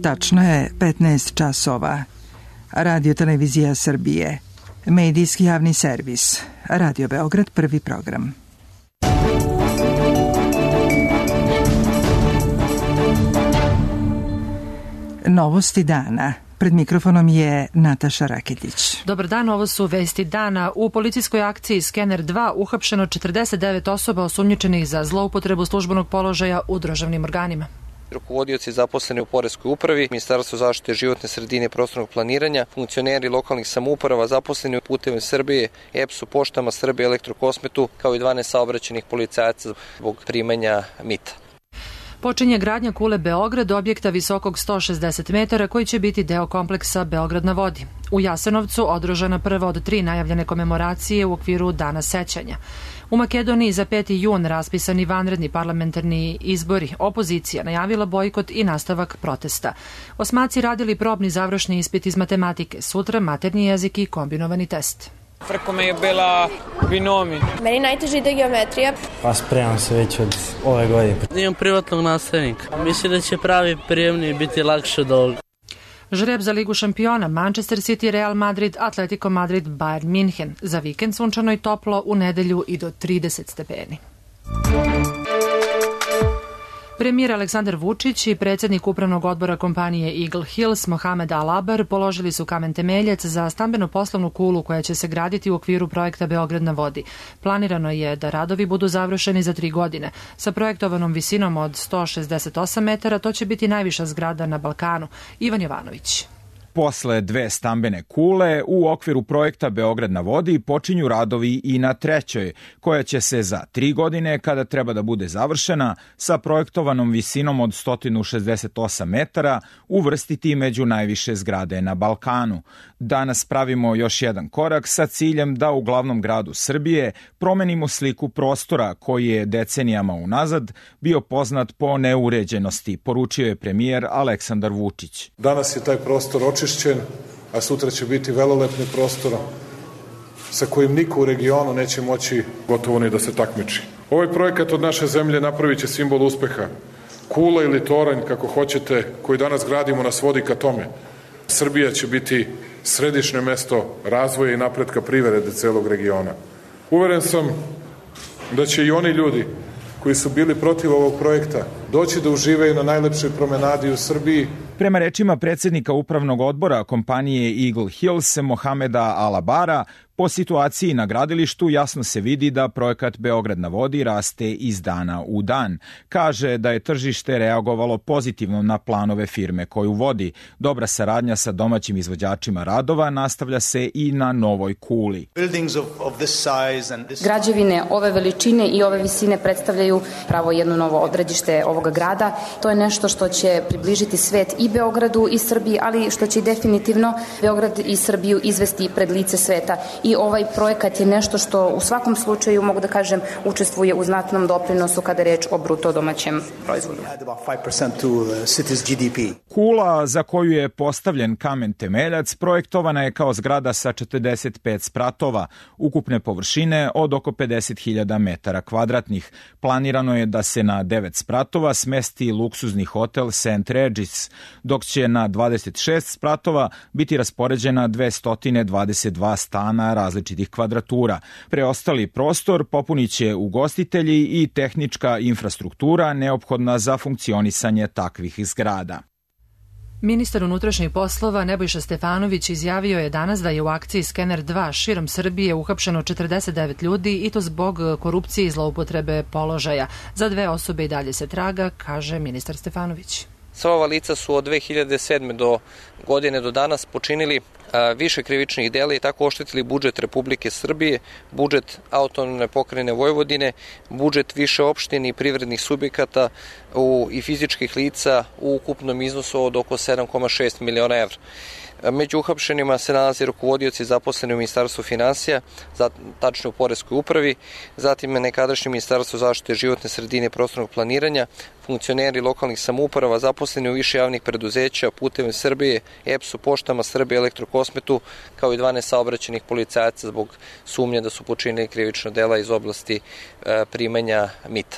Tačno je 15 časova. Radio Televizija Srbije. Medijski javni servis. Radio Beograd, prvi program. Novosti dana. Pred mikrofonom je Nataša Raketić. Dobar dan, ovo su vesti dana. U policijskoj akciji Skener 2 uhapšeno 49 osoba osumnjičenih za zloupotrebu službenog položaja u državnim organima. Rukovodioci zaposleni u Poreskoj upravi, Ministarstvu zaštite životne sredine i prostornog planiranja, funkcioneri lokalnih samouprava zaposleni u Putevima Srbije, EPS-u, Poštama Srbije, Elektrokosmetu, kao i 12 saobraćajnih policajaca zbog primanja mita. Počinje gradnja kule Beograd, objekta visokog 160 metara koji će biti deo kompleksa Beograd na vodi. U Jasenovcu održana prva od 3 najavljene komemoracije u okviru Dana sećanja. U Makedoniji za 5. jun raspisani vanredni parlamentarni izbori. Opozicija najavila bojkot i nastavak protesta. Osmaci radili probni završni ispit iz matematike. Sutra maternji jezik i kombinovani test. Preko me je bila binomi. Meni najteže ide geometrija. Pa spremam se već od ove godine. Imam privatnog nastavnika. Mislim da će pravi prijemni biti lakše od ovoga. Žreb za Ligu šampiona, Manchester City, Real Madrid, Atletico Madrid, Bayern München. Za vikend sunčano i toplo, u nedelju i do 30 stepeni. Premijer Aleksandar Vučić i predsjednik upravnog odbora kompanije Eagle Hills Mohamed Al-Abar položili su kamen temeljac za stambeno-poslovnu kulu koja će se graditi u okviru projekta Beograd na vodi. Planirano je da radovi budu završeni za 3 godine. Sa projektovanom visinom od 168 metara to će biti najviša zgrada na Balkanu. Ivan Jovanović. Posle 2 stambene kule, u okviru projekta Beograd na vodi počinju radovi i na 3, koja će se za 3 godine, kada treba da bude završena, sa projektovanom visinom od 168 metara, uvrstiti među najviše zgrade na Balkanu. Danas pravimo još jedan korak sa ciljem da u glavnom gradu Srbije promenimo sliku prostora koji je decenijama unazad bio poznat po neuređenosti, poručio je premijer Aleksandar Vučić. Danas je taj prostor očišćen, a sutra će biti velelepni prostor sa kojim niko u regionu neće moći gotovo ni da se takmiči. Ovaj projekat od naše zemlje napravit će simbol uspeha. Kula ili toranj, kako hoćete, koji danas gradimo nas vodi ka tome. Srbija će biti središnje mesto razvoja i napretka privrede celog regiona. Uveren sam da će i oni ljudi koji su bili protiv ovog projekta doći da uživaju na najlepšoj promenadi u Srbiji. Prema rečima predsjednika upravnog odbora kompanije Eagle Hills Mohameda Al-Abara, po situaciji na gradilištu jasno se vidi da projekat Beograd na vodi raste iz dana u dan. Kaže da je tržište reagovalo pozitivno na planove firme koju vodi. Dobra saradnja sa domaćim izvođačima radova nastavlja se i na novoj kuli. Građevine ove veličine i ove visine predstavljaju pravo jedno novo odredište ovoga grada. To je nešto što će približiti svet i Beogradu i Srbiji, ali što će definitivno Beograd i Srbiju izvesti pred lice sveta. I ovaj projekat je nešto što u svakom slučaju, mogu da kažem, učestvuje u znatnom doprinosu kada je reč o bruto domaćem proizvodu. Kula za koju je postavljen kamen temeljac projektovana je kao zgrada sa 45 spratova, ukupne površine od oko 50.000 metara kvadratnih. Planirano je da se na 9 spratova smesti luksuzni hotel St. Regis, dok će na 26 spratova biti raspoređena 222 stana različitih kvadratura. Preostali prostor popunit će ugostitelji i tehnička infrastruktura neophodna za funkcionisanje takvih zgrada. Ministar unutrašnjih poslova Nebojša Stefanović izjavio je danas da je u akciji Skener 2 širom Srbije uhapšeno 49 ljudi i to zbog korupcije i zloupotrebe položaja. Za 2 osobe i dalje se traga, kaže ministar Stefanović. Sva ova lica su od 2007. godine do danas počinili više krivičnih dela i tako oštetili budžet Republike Srbije, budžet autonomne pokrajine Vojvodine, budžet više opštine i privrednih subjekata i fizičkih lica u ukupnom iznosu od oko 7,6 miliona evra. Među uhapšenima se nalaze rukovodioci zaposleni u Ministarstvu finansija, tačnije u Poreskoj upravi, zatim nekadašnje Ministarstvo zaštite životne sredine i prostornog planiranja, funkcioneri lokalnih samouprava zaposleni u više javnih preduzeća, Putevima Srbije, EPS-u, Poštama Srbije, Elektrokosmetu, kao i 12 saobraćajnih policajaca zbog sumnje da su počinili krivična dela iz oblasti primanja mita.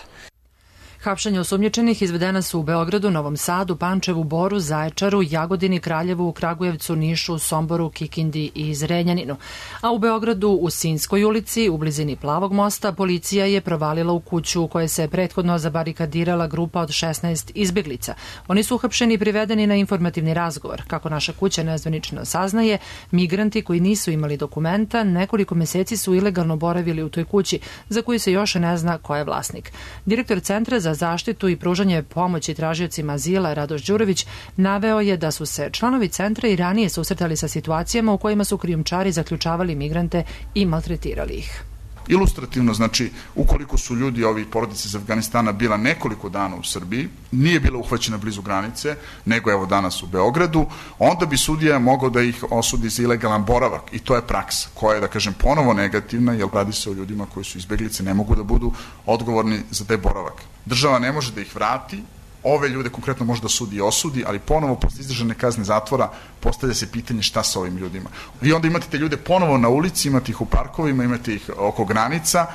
Hapšenja osumnjičenih izvedena su u Beogradu, Novom Sadu, Pančevu, Boru, Zaječaru, Jagodini, Kraljevu, Kragujevcu, Nišu, Somboru, Kikindi i Zrenjaninu. A u Beogradu, u Sinjskoj ulici, u blizini Plavog mosta, policija je provalila u kuću u kojoj se prethodno zabarikadirala grupa od 16 izbeglica. Oni su uhapšeni i privedeni na informativni razgovor. Kako naša kuća nezvanično saznaje, migranti koji nisu imali dokumenta nekoliko meseci su ilegalno boravili u toj kući, za koju se još ne zna ko je vlasnik. Direktor Centra za zaštitu i pružanje pomoći tražiocima azila Radoš Đurović naveo je da su se članovi centra i ranije susretali sa situacijama u kojima su krijumčari zaključavali migrante i maltretirali ih. Ilustrativno, znači, ukoliko su ljudi, ovi porodice iz Afganistana, bila nekoliko dana u Srbiji, nije bila uhvaćena blizu granice, nego evo danas u Beogradu, onda bi sudija mogao da ih osudi za ilegalan boravak i to je praksa koja je, da kažem, ponovo negativna, jer radi se o ljudima koji su izbeglice, ne mogu da budu odgovorni za taj boravak. Država ne može da ih vrati, ove ljude konkretno može da sudi i osudi, ali ponovo posle izdržane kazne zatvora postavlja se pitanje šta sa ovim ljudima. Vi onda imate te ljude ponovo na ulici, imate ih u parkovima, imate ih oko granica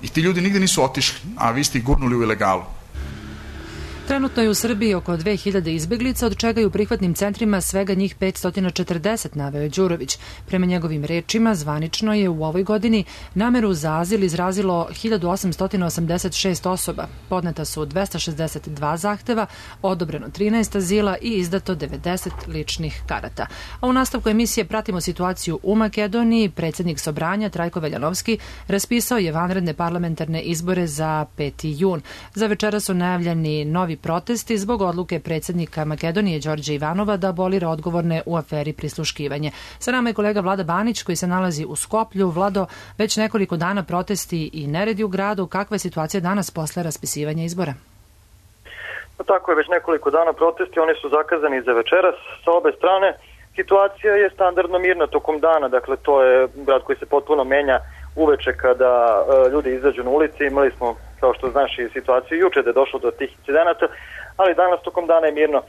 i ti ljudi nigde nisu otišli, a vi ste ih gurnuli u ilegalu. Trenutno je u Srbiji oko 2000 izbeglica, od čega je u prihvatnim centrima svega njih 540, naveo je Đurović. Prema njegovim rečima, zvanično je u ovoj godini nameru za azil izrazilo 1886 osoba. Podneta su 262 zahteva, odobreno 13 azila i izdato 90 ličnih karata. A u nastavku emisije pratimo situaciju u Makedoniji. Predsjednik Sobranja Trajko Veljanovski raspisao je vanredne parlamentarne izbore za 5. jun. Za večera su najavljeni novi protesti zbog odluke predsjednika Makedonije Đorđa Ivanova da abolira odgovorne u aferi prisluškivanje. Sa nama je kolega Vlada Banić koji se nalazi u Skoplju. Vlado, već nekoliko dana protesti i neredi u gradu. Kakva je situacija danas posle raspisivanja izbora? Tako je, već nekoliko dana protesti, oni su zakazani za večeras sa obe strane. Situacija je standardno mirna tokom dana, dakle to je grad koji se potpuno menja uveče kada ljudi izađu na ulici. Imali smo, kao što znaš, i situaciju juče da je došlo do tih incidenata, ali danas tokom dana je mirno.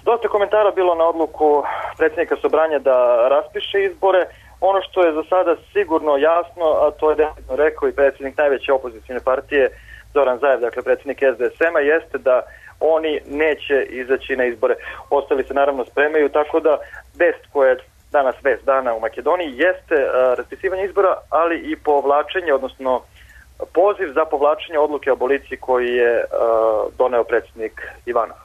Dosta komentara bilo na odluku predsjednika Sobranja da raspiše izbore. Ono što je za sada sigurno jasno, a to je definitivno rekao i predsjednik najveće opozicijne partije Zoran Zaev, dakle predsjednik SDSM-a, jeste da oni neće izaći na izbore. Ostali se naravno spremaju, tako da vest koja je danas vest dana u Makedoniji jeste raspisivanje izbora, ali i povlačenje, odnosno poziv za povlačenje odluke o aboliciji koji je doneo predsjednik Ivanov.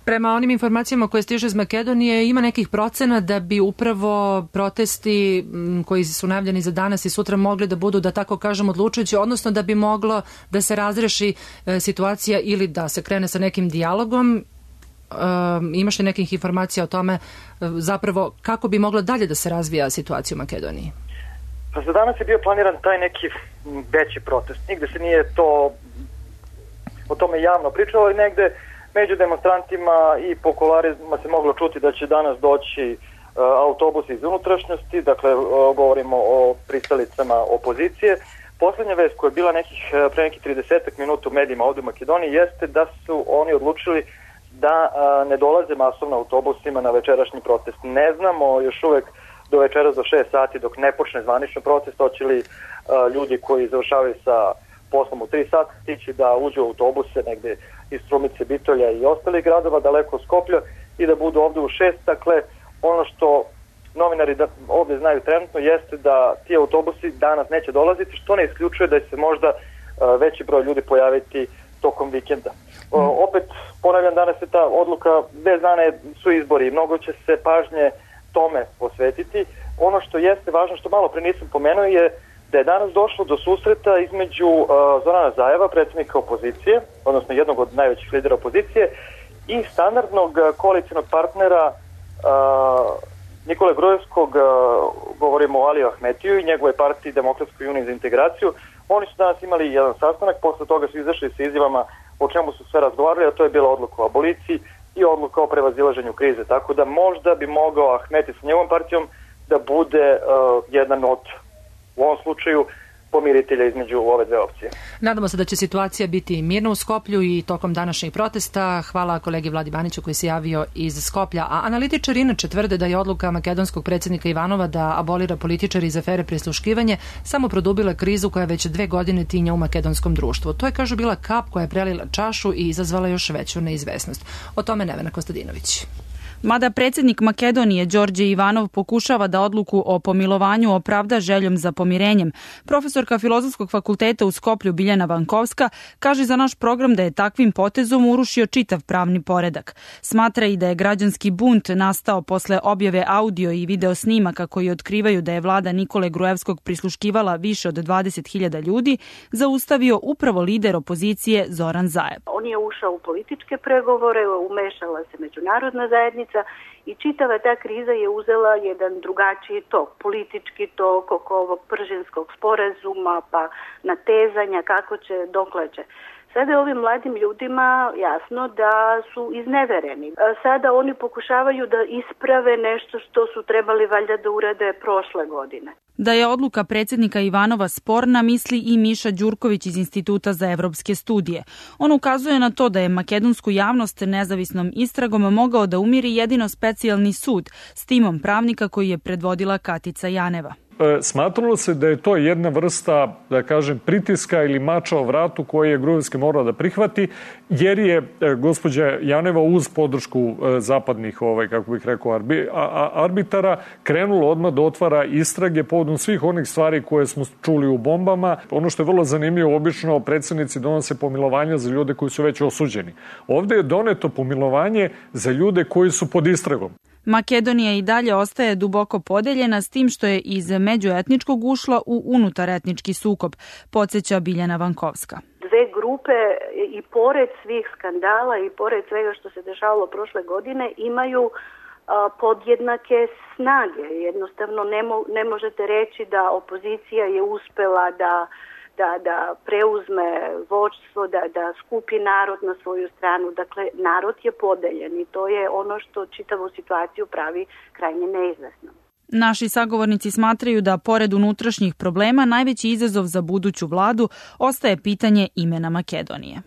Prema onim informacijama koje stiže iz Makedonije, ima nekih procena da bi upravo protesti koji su najavljeni za danas i sutra mogli da budu, da tako kažem, odlučujući, odnosno da bi moglo da se razreši situacija ili da se krene sa nekim dijalogom. Imaš li nekih informacija o tome zapravo kako bi moglo dalje da se razvija situacija u Makedoniji? Pa za danas je bio planiran taj neki veći protest. Nigde se nije to o tome javno pričalo i negde među demonstrantima i po kuloarima se moglo čuti da će danas doći autobusi iz unutrašnjosti, dakle govorimo o pristalicama opozicije. Poslednja vest koja je bila pre nekih 30 minuta u medijima ovde u Makedoniji jeste da su oni odlučili da ne dolaze masovno autobusima na večerašnji protest. Ne znamo još uvek do večeras do 6 sati dok ne počne zvanično protest, hoće li ljudi koji završavaju sa poslom u 3 sata stići da uđu u autobuse negde iz Strumice, Bitolja i ostalih gradova daleko od Skoplja i da budu ovde u 6. Dakle, ono što novinari ovde znaju trenutno jeste da ti autobusi danas neće dolaziti, što ne isključuje da se možda veći broj ljudi pojaviti tokom vikenda. Opet, ponavljam, danas je ta odluka, 2 dana su izbori i mnogo će se pažnje tome posvetiti. Ono što jeste važno, što malo pre nisam pomenuo, je da je danas došlo do susreta između Zorana Zaeva, predsjednika opozicije, odnosno jednog od najvećih lidera opozicije, i standardnog koalicijnog partnera Nikole Grujevskog, govorimo o Aliju Ahmetiju i njegove partiji Demokratskoj uniji za integraciju. Oni su danas imali jedan sastanak, posle toga su izašli sa izjavama o čemu su sve razgovarali, a to je bila odluka o aboliciji i odluka o prevazilaženju krize. Tako da možda bi mogao Ahmeti sa njegovom partijom da bude jedan od, u ovom slučaju, pomiritelja između ove dve opcije. Nadamo se da će situacija biti mirna u Skoplju i tokom današnjih protesta. Hvala kolegi Vladi Baniću koji se javio iz Skoplja. A analitičari inače tvrde da je odluka makedonskog predsjednika Ivanova da abolira političari iz afere prisluškivanje samo produbila krizu koja već 2 godine tinja u makedonskom društvu. To je, kažu, bila kap koja je prelila čašu i izazvala još veću neizvesnost. O tome Nevena Kostadinović. Mada predsjednik Makedonije Đorđe Ivanov pokušava da odluku o pomilovanju opravda željom za pomirenjem, profesorka Filozofskog fakulteta u Skoplju Biljana Vankovska kaže za naš program da je takvim potezom urušio čitav pravni poredak. Smatra i da je građanski bunt nastao posle objave audio i video snimaka koji otkrivaju da je vlada Nikole Gruevskog prisluškivala više od 20.000 ljudi, zaustavio upravo lider opozicije Zoran Zaev. On je ušao u političke pregovore, umešala se međunarodna zajednica i čitava ta kriza je uzela jedan drugačiji tok, politički tok oko ovog Pržinskog sporazuma, pa natezanja kako će, dokle će. Sada je ovim mladim ljudima jasno da su iznevereni. Sada oni pokušavaju da isprave nešto što su trebali valjda da urade prošle godine. Da je odluka predsjednika Ivanova sporna, misli i Miša Đurković iz Instituta za evropske studije. On ukazuje na to da je makedonsku javnost nezavisnom istragom mogao da umiri jedino specijalni sud s timom pravnika koji je predvodila Katica Janeva. Smatralo se da je to jedna vrsta, da kažem, pritiska ili mača o vratu koje je Gruevski morao da prihvati, jer je gospođa Janeva uz podršku zapadnih, kako bih rekao, arbitara krenulo odmah da otvara istrage povodom svih onih stvari koje smo čuli u bombama. Ono što je vrlo zanimljivo, obično predsjednici donose pomilovanja za ljude koji su već osuđeni. Ovdje je doneto pomilovanje za ljude koji su pod istragom. Makedonija i dalje ostaje duboko podeljena s tim što je iz međuetničkog ušla u unutaretnički sukob, podsjeća Biljana Vankovska. Dve grupe i pored svih skandala i pored svega što se dešavalo prošle godine imaju podjednake snage. Jednostavno ne možete reći da opozicija je uspela da preuzme vođstvo, da skupi narod na svoju stranu. Dakle, narod je podeljen i to je ono što čitavu situaciju pravi krajnje neizvesnom. Naši sagovornici smatraju da, pored unutrašnjih problema, najveći izazov za buduću vladu ostaje pitanje imena Makedonije.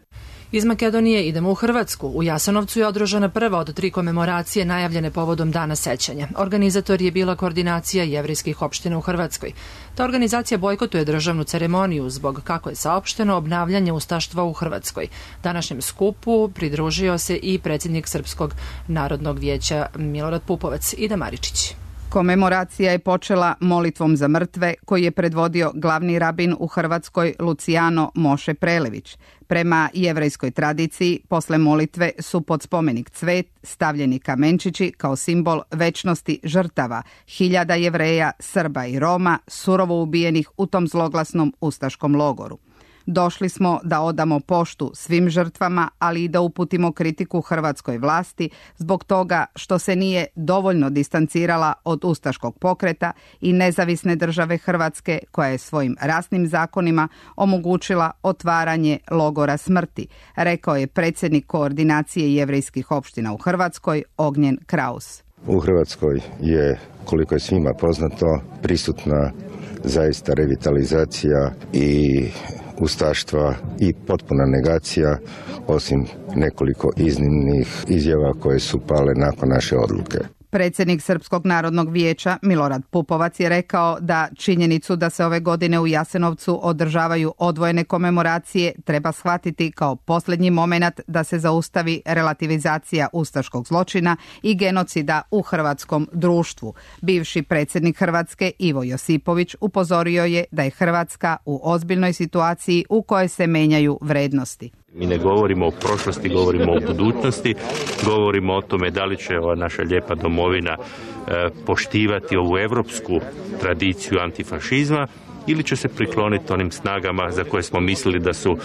Iz Makedonije idemo u Hrvatsku. U Jasenovcu je održana prva od 3 komemoracije najavljene povodom Dana sećanja. Organizator je bila Koordinacija jevrejskih opština u Hrvatskoj. Ta organizacija bojkotuje državnu ceremoniju zbog, kako je saopšteno, obnavljanja ustaštva u Hrvatskoj. Današnjem skupu pridružio se i predsjednik Srpskog narodnog vijeća Milorad Pupovac. Ida Maričić. Komemoracija je počela molitvom za mrtve koji je predvodio glavni rabin u Hrvatskoj Luciano Moše Prelević. Prema jevrejskoj tradiciji, posle molitve su pod spomenik cvet stavljeni kamenčići kao simbol večnosti žrtava hiljada Jevreja, Srba i Roma surovo ubijenih u tom zloglasnom ustaškom logoru. Došli smo da odamo poštu svim žrtvama, ali i da uputimo kritiku hrvatskoj vlasti zbog toga što se nije dovoljno distancirala od ustaškog pokreta i nezavisne države Hrvatske koja je svojim rasnim zakonima omogućila otvaranje logora smrti, rekao je predsjednik Koordinacije jevrejskih opština u Hrvatskoj Ognjen Kraus. U Hrvatskoj je, koliko je svima poznato, prisutna zaista revitalizacija i ustaštva i potpuna negacija, osim nekoliko iznimnih izjava koje su pale nakon naše odluke. Predsjednik Srpskog narodnog vijeća Milorad Pupovac je rekao da činjenicu da se ove godine u Jasenovcu održavaju odvojene komemoracije treba shvatiti kao posljednji moment da se zaustavi relativizacija ustaškog zločina i genocida u hrvatskom društvu. Bivši predsjednik Hrvatske Ivo Josipović upozorio je da je Hrvatska u ozbiljnoj situaciji u kojoj se menjaju vrednosti. Mi ne govorimo o prošlosti, govorimo o budućnosti, govorimo o tome da li će ova naša lijepa domovina poštivati ovu evropsku tradiciju antifašizma ili će se prikloniti onim snagama za koje smo mislili da su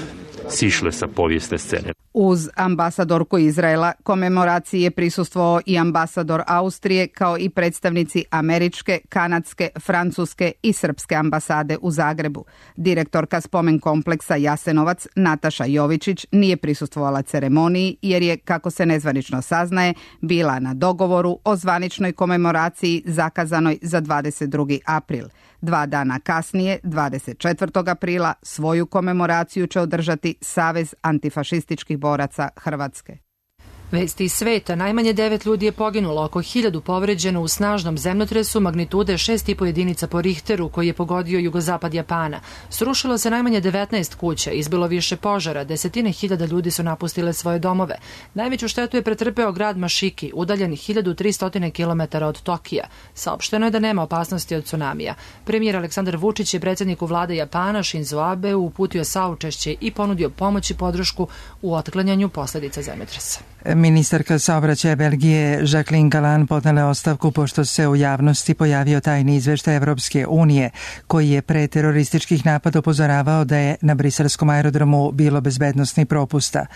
sišle sa povijesne scene. Uz ambasadorku Izraela komemoraciji je prisustvovao i ambasador Austrije kao i predstavnici američke, kanadske, francuske i srpske ambasade u Zagrebu. Direktorka spomen kompleksa Jasenovac Nataša Jovičić nije prisustvovala ceremoniji jer je, kako se nezvanično saznaje, bila na dogovoru o zvaničnoj komemoraciji zakazanoj za 22. april. 2 dana kasnije, 24. aprila, svoju komemoraciju će održati Savez antifašističkih boraca Hrvatske. Vesti iz sveta. Najmanje 9 ljudi je poginulo, oko 1000 povređeno u snažnom zemljotresu magnitude 6,5 jedinica po Richteru koji je pogodio jugozapad Japana. Srušilo se najmanje 19 kuća, izbilo više požara, desetine hiljada ljudi su napustile svoje domove. Najveću štetu je pretrpeo grad Mašiki, udaljen 1300 km od Tokija. Saopšteno je da nema opasnosti od tsunamija. Premijer Aleksandar Vučić je predsjedniku vlade Japana Shinzo Abe uputio saučešće i ponudio pomoć i podršku u otklanjanju posljedica zemljotresa. Ministarka saobraćaja Belgije Jacqueline Galland podnela je ostavku pošto se u javnosti pojavio tajni izveštaj Evropske unije koji je pre terorističkih napada upozoravao da je na briselskom aerodromu bilo bezbednosnih propusta.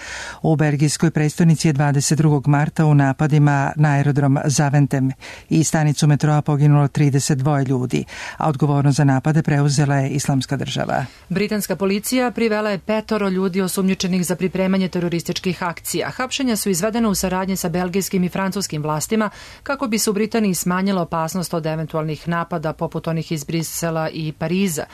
U belgijskoj prestonici je 22. marta u napadima na aerodrom Zaventem i stanicu metroa poginulo 32 ljudi, a odgovornost za napade preuzela je Islamska država. Britanska policija privela je 5 ljudi osumnjičenih za pripremanje terorističkih akcija. Hapšenja su izvedeno u saradnji sa belgijskim i francuskim vlastima kako bi se u Britaniji smanjila opasnost od eventualnih napada poput onih iz Brisela i Pariza.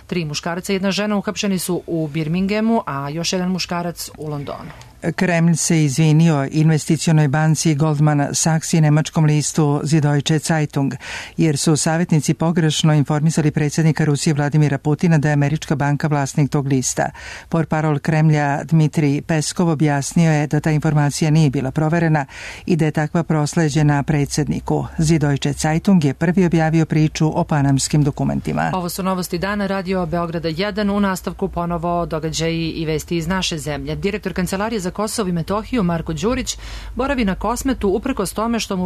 3 muškarca i 1 žena uhapšeni su u Birminghamu, a još 1 muškarac u Londonu. Kremlj se izvinio investicionoj banci Goldman Sachs i nemačkom listu Süddeutsche Zeitung, jer su savjetnici pogrešno informisali predsjednika Rusije Vladimira Putina da je američka banka vlasnik tog lista. Portparol Kremlja Dmitrij Peskov objasnio je da ta informacija nije bila proverena i da je takva prosleđena predsjedniku. Süddeutsche Zeitung je prvi objavio priču o panamskim dokumentima. Ovo su novosti dana Radio Beograda 1, u nastavku ponovo događaji i vesti iz naše zemlje. Direktor Kancelarije za Kosovo i Metohiju Marko Đurić boravi na Kosmetu uprkos tome što su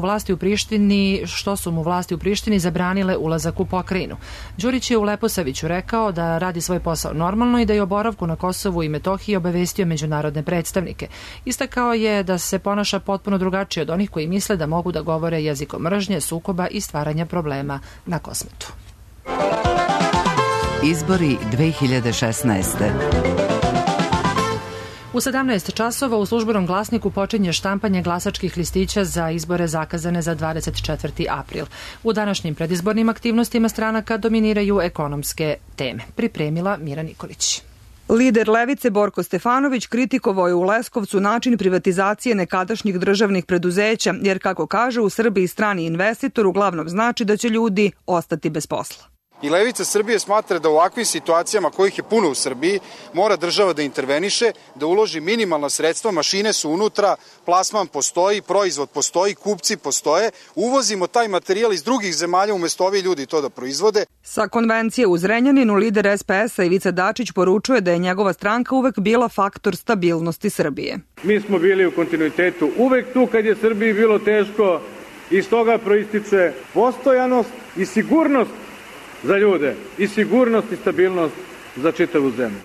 mu vlasti u Prištini zabranile ulazak u pokrajinu. Đurić je u Leposaviću rekao da radi svoj posao normalno i da je o boravku na Kosovu i Metohiji obavestio međunarodne predstavnike. Istakao je da se ponaša potpuno drugačije od onih koji misle da mogu da govore jezikom mržnje, sukoba i stvaranja problema na Kosmetu. Izbori 2016. U 17 časova u Službenom glasniku počinje štampanje glasačkih listića za izbore zakazane za 24. april. U današnjim predizbornim aktivnostima stranaka dominiraju ekonomske teme. Pripremila Mira Nikolić. Lider Levice Borko Stefanović kritikovao je u Leskovcu način privatizacije nekadašnjih državnih preduzeća, jer kako kaže u Srbiji strani investitor uglavnom znači da će ljudi ostati bez posla. I Levica Srbije smatra da u ovakvim situacijama, kojih je puno u Srbiji, mora država da interveniše, da uloži minimalna sredstva, mašine su unutra, plasman postoji, proizvod postoji, kupci postoje, uvozimo taj materijal iz drugih zemalja umjesto ovi ljudi to da proizvode. Sa konvencije u Zrenjaninu lider SPS-a Ivica Dačić poručuje da je njegova stranka uvek bila faktor stabilnosti Srbije. Mi smo bili u kontinuitetu uvek tu kad je Srbiji bilo teško, iz toga proističe postojanost i sigurnost za ljude i sigurnost i stabilnost za čitavu zemlju.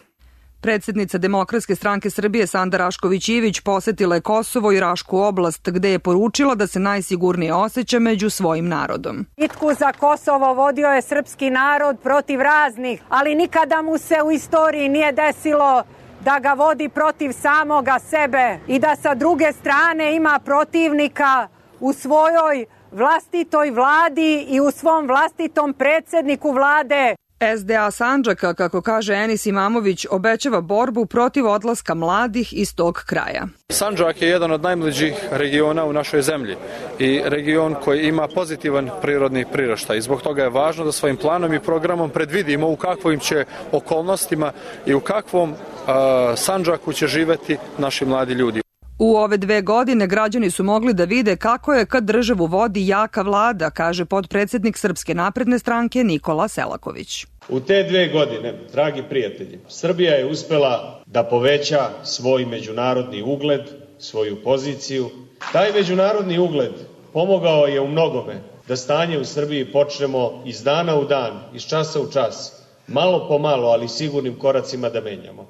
Predsjednica Demokratske stranke Srbije Sanda Rašković-Ivić posetila je Kosovo i Rašku oblast, gde je poručila da se najsigurnije osjeća među svojim narodom. Bitku za Kosovo vodio je srpski narod protiv raznih, ali nikada mu se u istoriji nije desilo da ga vodi protiv samoga sebe i da sa druge strane ima protivnika u svojoj vlastitoj vladi i u svom vlastitom predsjedniku vlade. SDA Sandžaka, kako kaže Enis Imamović, obećava borbu protiv odlaska mladih iz tog kraja. Sandžak je jedan od najmlađih regiona u našoj zemlji i region koji ima pozitivan prirodni priraštaj. Zbog toga je važno da svojim planom i programom predvidimo u kakvim će okolnostima i u kakvom Sandžaku će živeti naši mladi ljudi. U ove 2 godine građani su mogli da vide kako je kad državu vodi jaka vlada, kaže potpredsjednik Srpske napredne stranke Nikola Selaković. U te 2 godine, dragi prijatelji, Srbija je uspela da poveća svoj međunarodni ugled, svoju poziciju. Taj međunarodni ugled pomogao je u mnogome da stanje u Srbiji počnemo iz dana u dan, iz časa u čas, malo po malo, ali sigurnim koracima da menjamo.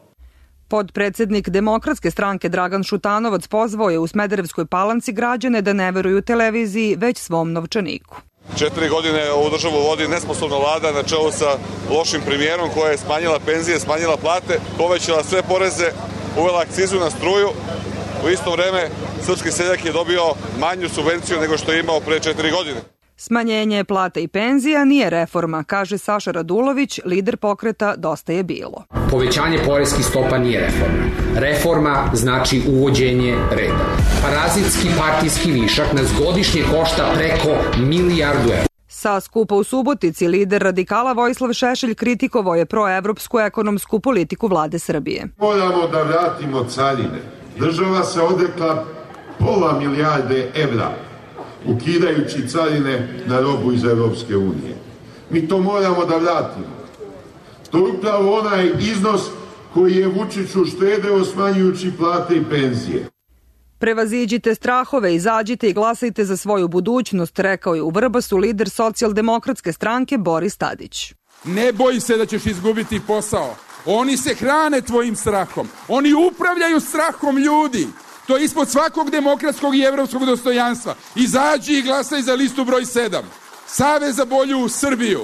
Podpredsednik Demokratske stranke Dragan Šutanovac pozvao je u Smederevskoj Palanci građane da ne veruju televiziji, već svom novčaniku. 4 godine ovu državu vodi nesposobna vlada na čelu sa lošim premijerom koja je smanjila penzije, smanjila plate, povećala sve poreze, uvela akcizu na struju. U isto vreme srpski seljak je dobio manju subvenciju nego što je imao pre 4 godine. Smanjenje plata i penzija nije reforma, kaže Saša Radulović, lider pokreta Dosta je bilo. Povećanje poreskih stopa nije reforma. Reforma znači uvođenje reda. Parazitski partijski višak nas godišnje košta preko milijardu evra. Sa skupa u Subotici lider radikala Vojislav Šešelj kritikovao je proevropsku ekonomsku politiku vlade Srbije. Moramo da vratimo carine. Država se odrekla pola milijarde evra, ukidajući carine na robu iz Evropske unije. Mi to moramo da vratimo. To je upravo onaj iznos koji je Vučiću štedeo smanjujući plate i penzije. Prevaziđite strahove, izađite i glasajte za svoju budućnost, rekao je u Vrbasu lider Socijaldemokratske stranke Boris Tadić. Ne boj se da ćeš izgubiti posao. Oni se hrane tvojim strahom. Oni upravljaju strahom ljudi. To je ispod svakog demokratskog i evropskog dostojanstva. Izađi i glasaj za listu broj 7. Savez za bolju Srbiju.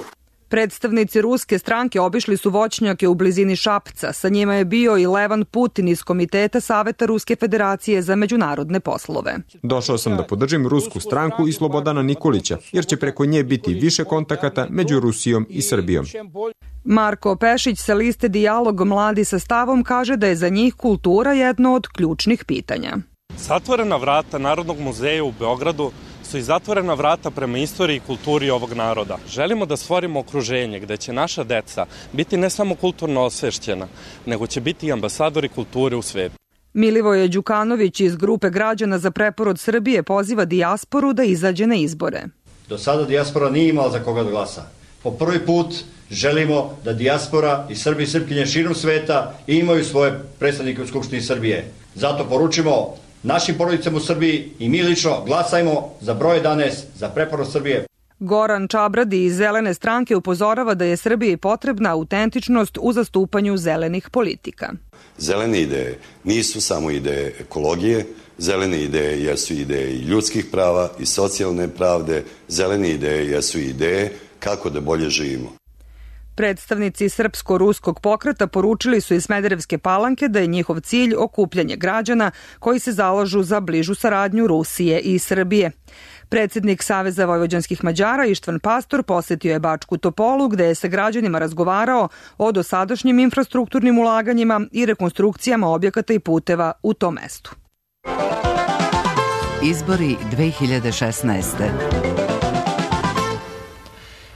Predstavnici ruske stranke obišli su voćnjake u blizini Šapca. Sa njima je bio i Levan Putin iz Komiteta Saveta Ruske federacije za međunarodne poslove. Došao sam da podržim rusku stranku i Slobodana Nikolića, jer će preko nje biti više kontakata među Rusijom i Srbijom. Marko Pešić sa liste Dijalog mladi sa stavom kaže da je za njih kultura jedno od ključnih pitanja. Zatvorena vrata Narodnog muzeja u Beogradu su i zatvorena vrata prema istoriji i kulturi ovog naroda. Želimo da stvorimo okruženje gde će naša deca biti ne samo kulturno osvešćena, nego će biti i ambasadori kulture u svetu. Milivoje Đukanović iz grupe građana za preporod Srbije poziva dijasporu da izađe na izbore. Do sada dijaspora nije imala za koga da glasa. Po prvi put želimo da dijaspora i Srbi i Srpkinje širom sveta imaju svoje predstavnike u Skupštini Srbije. Zato poručimo našim porodicama u Srbiji i mi lično glasajmo za broj 11 za preporod Srbije. Goran Čabradi iz Zelene stranke upozorava da je Srbiji potrebna autentičnost u zastupanju zelenih politika. Zelene ideje nisu samo ideje ekologije, zelene ideje jesu ideje i ljudskih prava i socijalne pravde, zelene ideje jesu ideje kako da bolje živimo. Predstavnici srpsko-ruskog pokreta poručili su iz Smederevske Palanke da je njihov cilj okupljanje građana koji se zalažu za bližu saradnju Rusije i Srbije. Predsednik Saveza vojvođanskih Mađara Ištvan Pastor posetio je Bačku Topolu gde je sa građanima razgovarao o dosadašnjim infrastrukturnim ulaganjima i rekonstrukcijama objekata i puteva u tom mestu. Izbori 2016.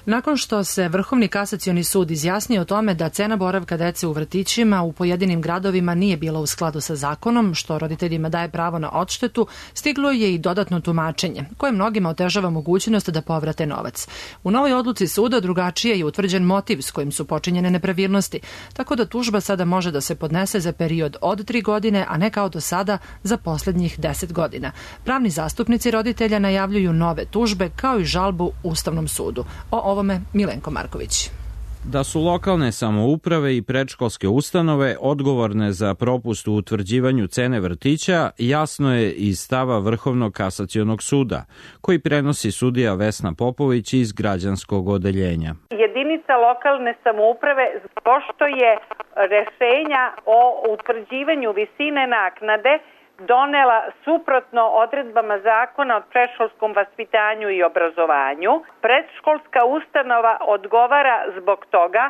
Nakon što se Vrhovni kasacioni sud izjasnio o tome da cena boravka dece u vrtićima u pojedinim gradovima nije bila u skladu sa zakonom, što roditeljima daje pravo na odštetu, stiglo je i dodatno tumačenje, koje mnogima otežava mogućnost da povrate novac. U novoj odluci suda drugačije je utvrđen motiv s kojim su počinjene nepravilnosti, tako da tužba sada može da se podnese za period od 3 godine, a ne kao do sada za poslednjih 10 godina. Pravni zastupnici roditelja najavljuju nove tužbe kao i žalbu Ustavnom sudu. O ovome Milenko Marković. Da su lokalne samouprave i predškolske ustanove odgovorne za propust u utvrđivanju cene vrtića, jasno je iz stava Vrhovnog kasacionog suda, koji prenosi sudija Vesna Popović iz građanskog odeljenja. Jedinica lokalne samouprave, pošto je rešenja o utvrđivanju visine naknade donela suprotno odredbama zakona o predškolskom vaspitanju i obrazovanju, predškolska ustanova odgovara zbog toga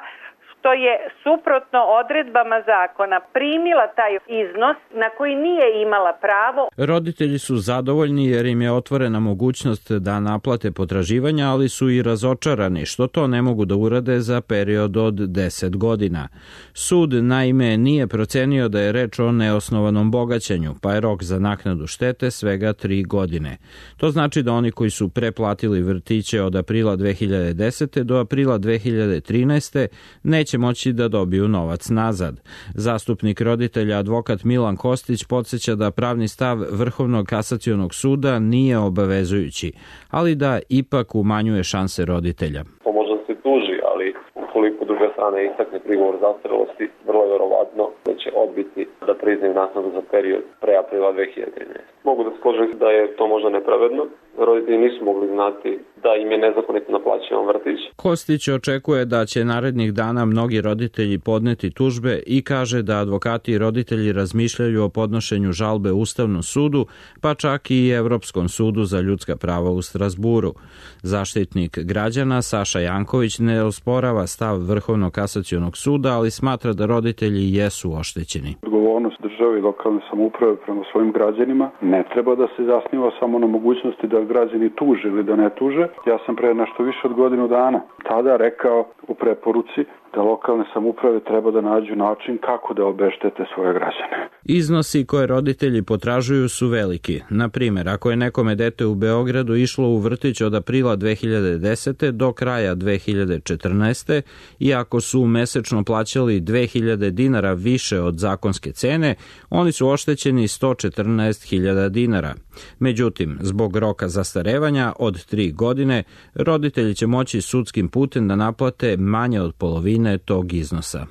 što je suprotno odredbama zakona primila taj iznos na koji nije imala pravo. Roditelji su zadovoljni jer im je otvorena mogućnost da naplate potraživanja, ali su i razočarani što to ne mogu da urade za period od 10 godina. Sud naime nije procenio da je reč o neosnovanom bogaćenju, pa je rok za naknadu štete svega 3 godine. To znači da oni koji su preplatili vrtiće od aprila 2010. do aprila 2013. neće moći da dobiju novac nazad. Zastupnik roditelja advokat Milan Kostić podsjeća da pravni stav Vrhovnog kasacionog suda nije obavezujući, ali da ipak umanjuje šanse roditelja. To može da se tuži, ali ukoliko druga strana strana istakne prigovor zastarelosti, vrlo je verovatno da će odbiti da priznaju naknadu za period pre aprila 2013. Mogu da složim da je to možda nepravedno. Roditelji nisu mogli znati da im je nezakonito naplaćen vrtić. Kostić očekuje da će narednih dana mnogi roditelji podneti tužbe i kaže da advokati i roditelji razmišljaju o podnošenju žalbe Ustavnom sudu, pa čak i Evropskom sudu za ljudska prava u Strazburu. Zaštitnik građana Saša Janković ne osporava stav Vrhovnog kasacionog suda, ali smatra da roditelji jesu oštećeni. Odgovornost države i lokalne samouprave prema svojim građanima ne treba da se zasniva samo na mogućnosti da građani tuže ili da ne tuže. Ja sam pre nešto više od godinu dana tada rekao u preporuci da lokalne samouprave treba da nađu način kako da obeštete svoje građane. Iznosi koje roditelji potražuju su veliki. Na primjer, ako je nekome dete u Beogradu išlo u vrtić od aprila 2010. do kraja 2014. i ako su mesečno plaćali 2000 dinara više od zakonske cene, oni su oštećeni 114.000 dinara. Međutim, zbog roka zastarevanja od 3 godine, roditelji će moći sudskim putem da naplate manje od polovine tog iznosa.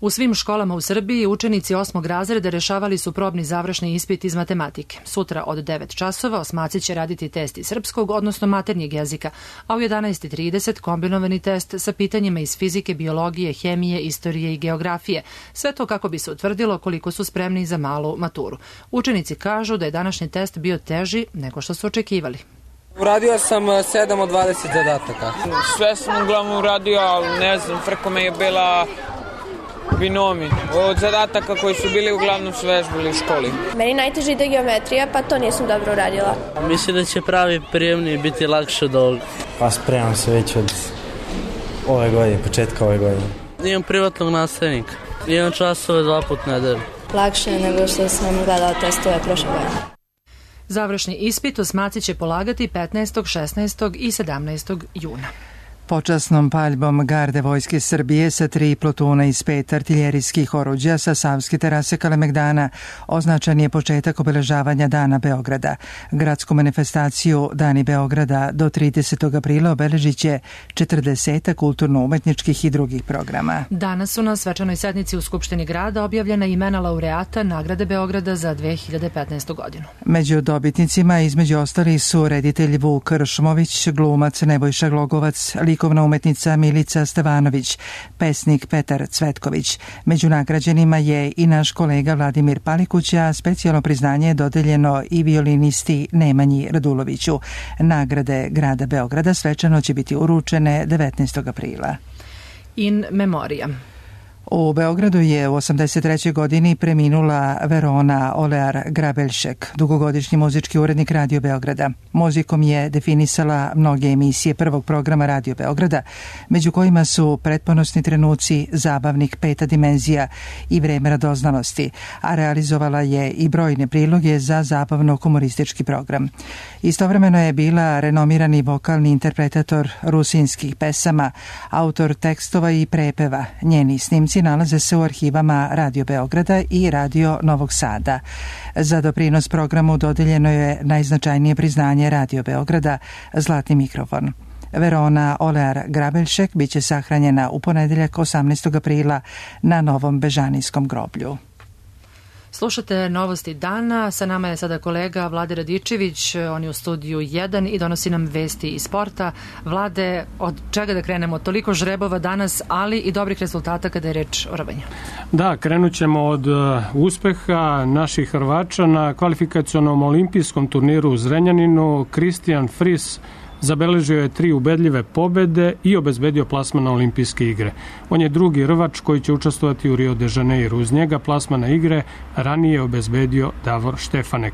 U svim školama u Srbiji učenici 8. razreda rešavali su probni završni ispit iz matematike. Sutra od 9 časova osmaci će raditi test iz srpskog, odnosno maternjeg jezika, a u 11:30 kombinovani test sa pitanjima iz fizike, biologije, hemije, istorije i geografije. Sve to kako bi se utvrdilo koliko su spremni za malu maturu. Učenici kažu da je današnji test bio teži nego što su očekivali. Uradio sam 7 od 20 zadataka. Sve sam uglavnom uradio, ali ne znam, preko me je bila binomi. Od zadataka koji su bili uglavnom su vežbali u školi. Meni najteže ide geometrija, pa to nisam dobro uradila. Mislim da će pravi prijemni biti lakše od ovog. Pa spremam se već od ove godine, početka ove godine. Imam privatnog nastavnika. Imam časove 2 puta nedelju. Lakše je nego što sam gledala testove prošle godine. Završni ispit osmaci će polagati 15., 16. i 17. juna. Počasnom paljbom garde Vojske Srbije sa 3 plotuna iz 5 artiljerijskih oruđa sa Savske terase Kalemegdana označen je početak obeležavanja Dana Beograda. Gradsku manifestaciju Dani Beograda do 30. aprila obeležit će 40 kulturno-umetničkih i drugih programa. Danas su na svečanoj sednici u Skupštini grada objavljena imena laureata nagrade Beograda za 2015. godinu. Među dobitnicima između ostalih su reditelj Vuk Ršmović, glumac Nebojša Glogovac, likovna umetnica Milica Stevanović, pesnik Petar Cvetković. Među nagrađenima je i naš kolega Vladimir Palikuć, a specijalno priznanje je dodeljeno i violinisti Nemanji Raduloviću. Nagrade grada Beograda svečano će biti uručene 19. aprila. In memoriam. U Beogradu je u 83. godini preminula Verona Olear Grabeljšek, dugogodišnji muzički urednik Radio Beograda. Muzikom je definisala mnoge emisije prvog programa Radio Beograda, među kojima su Pretponosni trenuci, Zabavnik, Peta dimenzija i Vreme radoznalosti, a realizovala je i brojne priloge za zabavno-humoristički program. Istovremeno je bila renomirani vokalni interpretator rusinskih pesama, autor tekstova i prepeva. Njeni snimci nalaze se u arhivama Radio Beograda i Radio Novog Sada. Za doprinos programu dodeljeno je najznačajnije priznanje Radio Beograda, Zlatni mikrofon. Verona Olear Grabeljšek biće sahranjena u ponedeljak 18. aprila na Novom Bežanijskom groblju. Slušate novosti dana, sa nama je sada kolega Vlade Radičević, on je u studiju 1 i donosi nam vesti iz sporta. Vlade, od čega da krenemo? Toliko žrebova danas, ali i dobrih rezultata kada je reč o rvanju. Da, krenut ćemo od uspeha naših Hrvača na kvalifikacionom olimpijskom turniru u Zrenjaninu. Kristijan Fris zabeležio je 3 ubedljive pobede i obezbedio plasman na olimpijske igre. On je drugi Rvač koji će učestvovati u Rio de Janeiro. Uz njega plasman na igre ranije je obezbedio Davor Štefanek.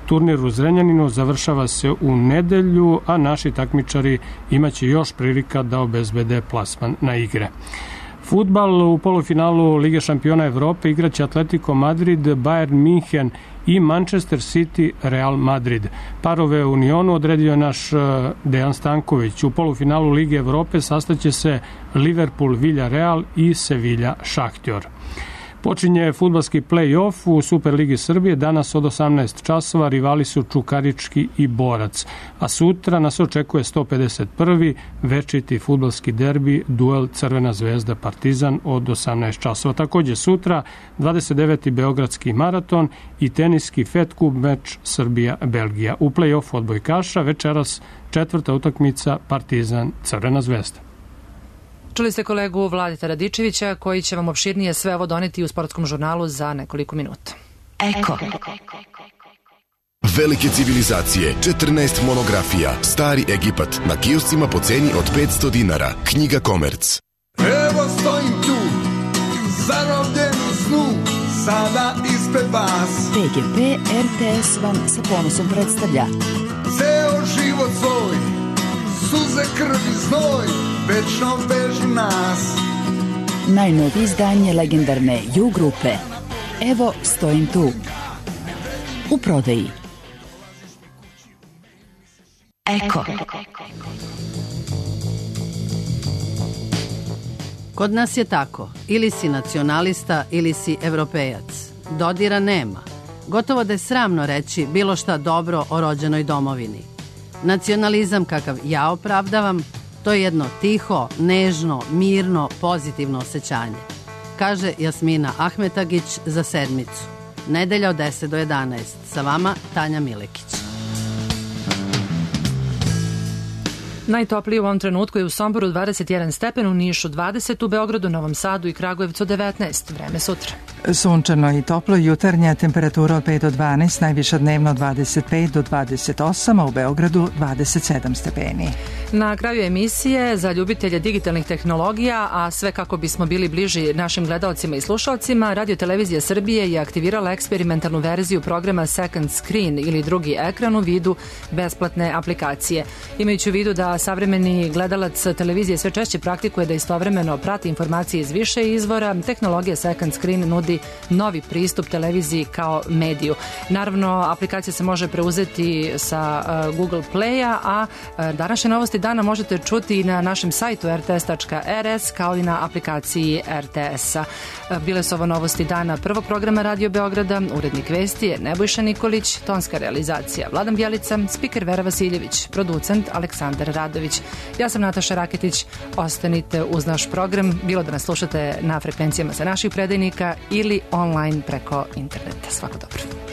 Turnir u Zrenjaninu završava se u nedelju, a naši takmičari imaće još prilika da obezbede plasman na igre. Fudbal u polufinalu Lige šampiona Evrope igraće Atletico Madrid, Bayern München i Manchester City Real Madrid. Parove u Unionu odredio naš Dejan Stanković. U polufinalu Lige Evrope sastaće se Liverpool Villarreal i Sevilla Šahtjor. Počinje fudbalski play-off u Superligi Srbije. Danas od 18 časova rivali su Čukarički i Borac. A sutra nas očekuje 151. večiti fudbalski derbi, duel Crvena zvezda Partizan od 18 časova. Također sutra 29. Beogradski maraton i teniski Fed Cup meč Srbija-Belgija. U play-off odbojkaša večeras 4. utakmica Partizan Crvena zvezda. Čuli ste kolegu Vladeta Radičevića koji će vam opširnije sve ovo doneti u sportskom žurnalu za nekoliko minuta. Eko. Velike civilizacije, 14 monografija, Stari Egipat, na kioscima po ceni od 500 dinara. Knjiga Komerc. Evo stojim tu, zarobljen u snu, sada ispred vas. PGP RTS vam sa ponosom predstavlja Ceo život svoj, suze, krvi, znoj, večno vežu nas. najnovije izdanje legendarne U grupe. Evo stojim tu. U prodaji. Eko. Kod nas je tako. Ili si nacionalista ili si evropejac. Dodira nema. Gotovo da je sramno reći bilo šta dobro o rođenoj domovini. Nacionalizam kakav ja opravdavam, to je jedno tiho, nežno, mirno, pozitivno osjećanje. Kaže Jasmina Ahmetagić za Sedmicu. Nedelja od 10 do 11. Sa vama Tanja Milekić. Najtoplije u ovom trenutku je u Somboru 21 stepen, u Nišu 20, u Beogradu, Novom Sadu i Kragujevcu 19. Vreme sutra. Sunčano i toplo, jutarnja temperatura od 5 do 12, najviša dnevno 25 do 28, a u Beogradu 27 stepeni. Na kraju emisije za ljubitelje digitalnih tehnologija, a sve kako bismo bili bliži našim gledalcima i slušalcima, Radio Televizija Srbije je aktivirala eksperimentalnu verziju programa Second Screen ili drugi ekran u vidu besplatne aplikacije. Imajući u vidu da savremeni gledalac televizije sve češće praktikuje da istovremeno prati informacije iz više izvora, tehnologija Second Screen nudi novi pristup televiziji kao mediju. Naravno, aplikacija se može preuzeti sa Google Playa, a današnje novosti dana možete čuti i na našem sajtu rts.rs kao i na aplikaciji RTS-a. Bile su ovo novosti dana prvog programa Radio Beograda, urednik vesti je Nebojša Nikolić, tonska realizacija Vladan Bjelica, spiker Vera Vasiljević, producent Aleksandar Radović. Ja sam Nataša Raketić, ostanite uz naš program, bilo da nas slušate na frekvencijama sa naših predajnika ili online preko interneta. Svako dobro.